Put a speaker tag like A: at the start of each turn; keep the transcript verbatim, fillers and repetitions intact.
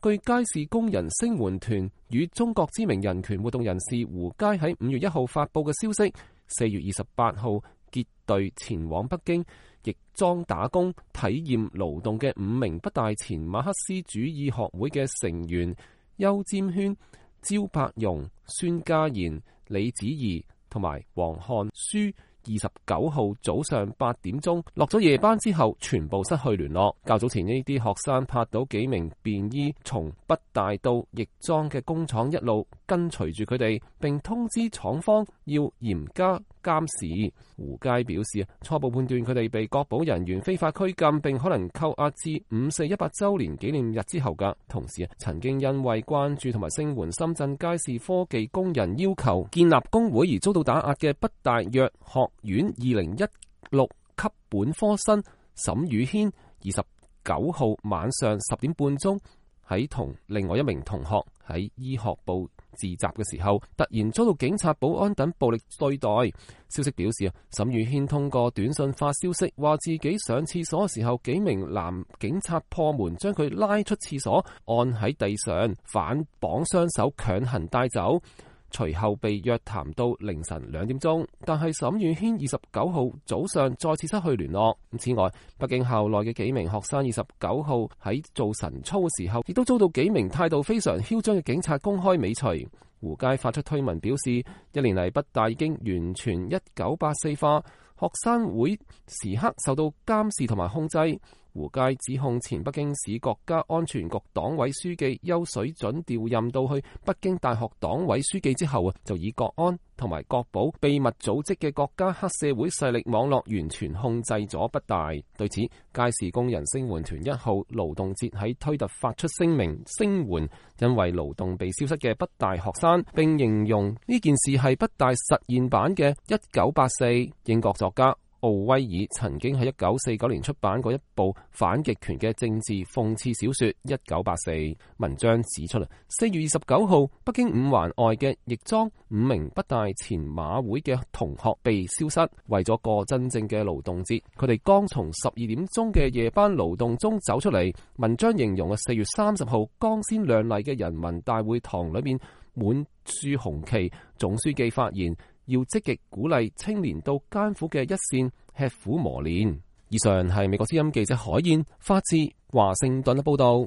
A: 據街市工人聲援團與中國知名人權活動人士胡佳喺五月一號發佈嘅消息，四月二十八號結隊前往北京亦莊打工體驗勞動嘅五名北大前馬克思主義學會嘅成員邱占軒、焦柏容、孫家賢、李子怡同埋黃漢書，二十九號早上八點鐘落咗夜班之後，全部失去聯絡。較早前呢啲學生拍到幾名便衣從北大到亦莊嘅工廠一路跟隨住佢哋，並通知廠方要嚴加監視。胡佳表示，初步判斷佢哋被國保人員非法拘禁，並可能扣押至五四一百週年紀念日之後㗎。同時，曾經因為關注同埋聲援深圳街市科技工人要求建立工會而遭到打壓嘅北大藥學院二零一六級本科生沈宇軒，二十九號晚上十點半鐘喺同另外一名同學喺醫學部自習嘅時候，突然遭到警察、保安等暴力對待。消息表示，沈宇軒通過短信發消息，話自己上廁所嘅時候，幾名男警察破門將佢拉出廁所，按喺地上反綁雙手強行帶走。隨後被約談到凌晨兩點鐘，但係沈宇軒二十九號早上再次失去聯絡。此外，北京校內嘅幾名學生二十九號喺做晨操嘅時候，亦都遭到幾名態度非常囂張嘅警察公開尾隨。胡佳發出推文表示，一年嚟北大已經完全一九八四化，學生會時刻受到監視同埋控制。胡佳指控前北京市國家安全局黨委書記邱水準調任到去北京大學黨委書記之後啊，就以國安同埋國保秘密組織嘅國家黑社會勢力網絡完全控制咗北大。對此，街市工人聲援團一號勞動節喺推特發出聲明聲援因為勞動被消失嘅北大學生，並形容呢件事係北大實驗版嘅一九八四。英國作家奧威爾曾經喺一九四九年出版過一部反極權嘅政治諷刺小說《一九八四》。文章指出啦，四月二十九號，北京五環外嘅亦莊五名北大前馬會嘅同學被消失。為咗過真正嘅勞動節，佢哋剛從十二點鐘嘅夜班勞動中走出嚟。文章形容啊，四月三十號光鮮亮麗嘅人民大會堂裏面滿樹紅旗，總書記發言，要積極鼓勵青年到艱苦嘅一線吃苦磨練。以上係美國之音記者海燕發自華盛頓嘅報道。